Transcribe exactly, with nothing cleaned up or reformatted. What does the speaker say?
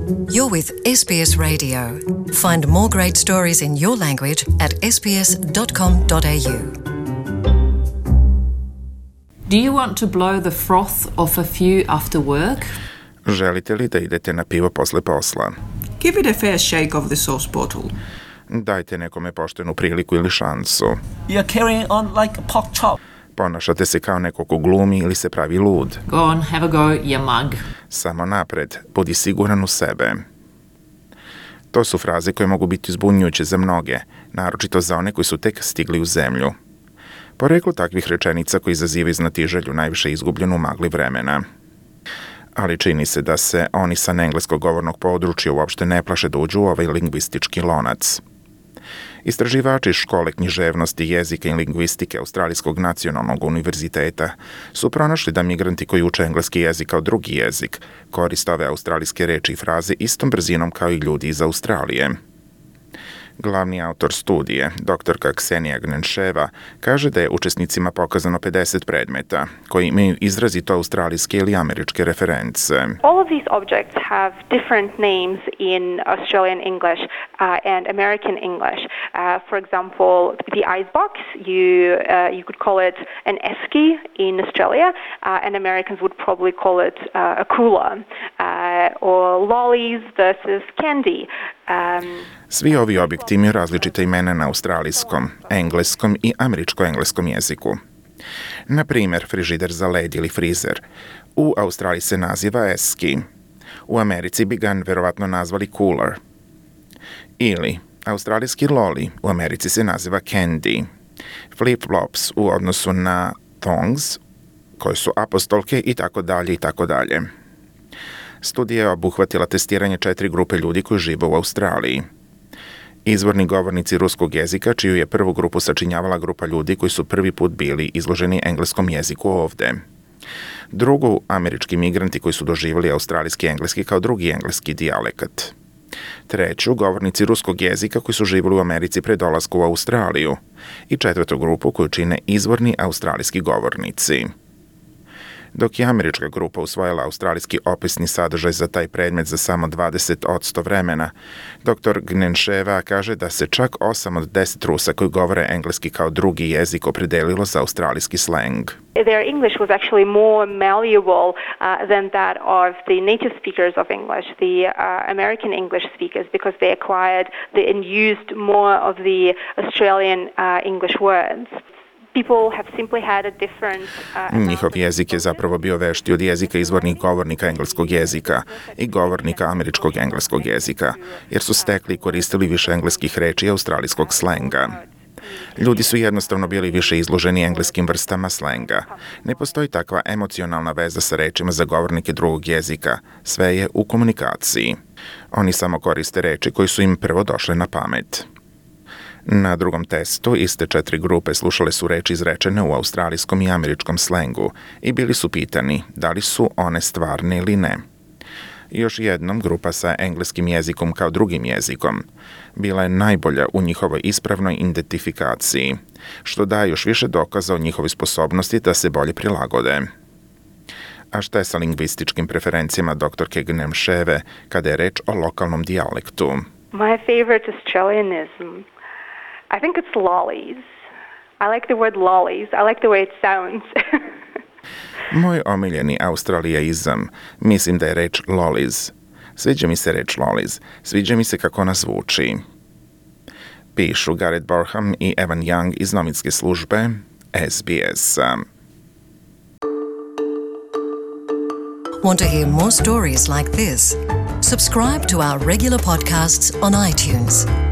You're with S B S Radio. Find more great stories in your language at s b s dot com dot a u. Do you want to blow the froth off a few after work? Želite li da idete na pivo posle posla? Give it a fair shake of the sauce bottle. Dajte nekome poštenu priliku ili šansu. You're carrying on like a pork chop. Ponašate se kao neko ko glumi ili se pravi lud. Go on, have a go, you mug. Samo napred, budi siguran u sebe. To su fraze koje mogu biti zbunjujuće za mnoge, naročito za one koji su tek stigli u zemlju. Poreklo takvih rečenica koji izazivaju znatiželju najviše izgubljenu u magli vremena. Ali čini se da se oni sa engleskog govornog područja uopšte ne plaše da uđu u ovaj lingvistički lonac. Istraživači iz škole književnosti, jezika i lingvistike Australijskog nacionalnog univerziteta su pronašli da migranti koji uče engleski jezik kao drugi jezik koriste ove australijske reči i fraze istom brzinom kao i ljudi iz Australije. Glavni autor studije, doktorka Ksenija Gnenševa, kaže da je učesnicima pokazano pedeset predmeta koji imaju izrazito australijske ili američke reference. All of these objects have different names in Australian English uh, and American English. Uh, for example, the icebox, you uh, you could call it an esky in Australia, uh, and Americans would probably call it uh, a cooler, uh, or lollies versus candy. Um, Svi ovi objekti imaju različite imena na australijskom, engleskom i američko-engleskom jeziku. Na primjer, frižider za led ili frizer. U Australiji se naziva esky. U Americi bi ga verovatno nazvali cooler. Ili, australijski lolly u Americi se naziva candy. Flip-flops u odnosu na thongs, koje su apostolke i tako dalje i tako dalje. Studija je obuhvatila testiranje četiri grupe ljudi koji žive u Australiji. Izvorni govornici ruskog jezika, čiju je prvu grupu sačinjavala grupa ljudi koji su prvi put bili izloženi engleskom jeziku ovde. Drugu, američki migranti koji su doživjeli australijski engleski kao drugi engleski dijalekat. Treću, govornici ruskog jezika koji su živjeli u Americi pre dolaska u Australiju. I četvrtu grupu koju čine izvorni australijski govornici. Dok je američka grupa usvojila australijski opisni sadržaj za taj predmet za samo dvadeset posto vremena, doktor Gnenševa kaže da se čak osam od deset Rusa koji govore engleski kao drugi jezik opredelilo za australijski slang. Their English was actually more malleable uh, than that of the native speakers of English, the uh, American English speakers, because they acquired the, and used more of the Australian uh, English words. Njihov jezik je zapravo bio vešti od jezika izvornih govornika engleskog jezika i govornika američkog engleskog jezika, jer su stekli i koristili više engleskih reči i australijskog slenga. Ljudi su jednostavno bili više izloženi engleskim vrstama slenga. Ne postoji takva emocionalna veza sa rečima za govornike drugog jezika. Sve je u komunikaciji. Oni samo koriste reči koji su im prvo došle na pamet. Na drugom testu iste četiri grupe slušale su reči izrečene u australijskom i američkom slengu i bili su pitani da li su one stvarne ili ne. Još jednom, grupa sa engleskim jezikom kao drugim jezikom bila je najbolja u njihovoj ispravnoj identifikaciji, što daje još više dokaza o njihovoj sposobnosti da se bolje prilagode. A šta je sa lingvističkim preferencijama doktorke Gnenševe kada je reč o lokalnom dijalektu? My favorite Australianism, I think it's lollies. I like the word lollies. I like the way it sounds. Moj omiljeni australijaizam, mislim da je reč lollies. Sviđa mi se reč lollies. Sviđa mi se kako ona zvuči. Pišu Gareth Borham i Evan Young iz novinske službe S B S. Want to hear more stories like this? Subscribe to our regular podcasts on iTunes.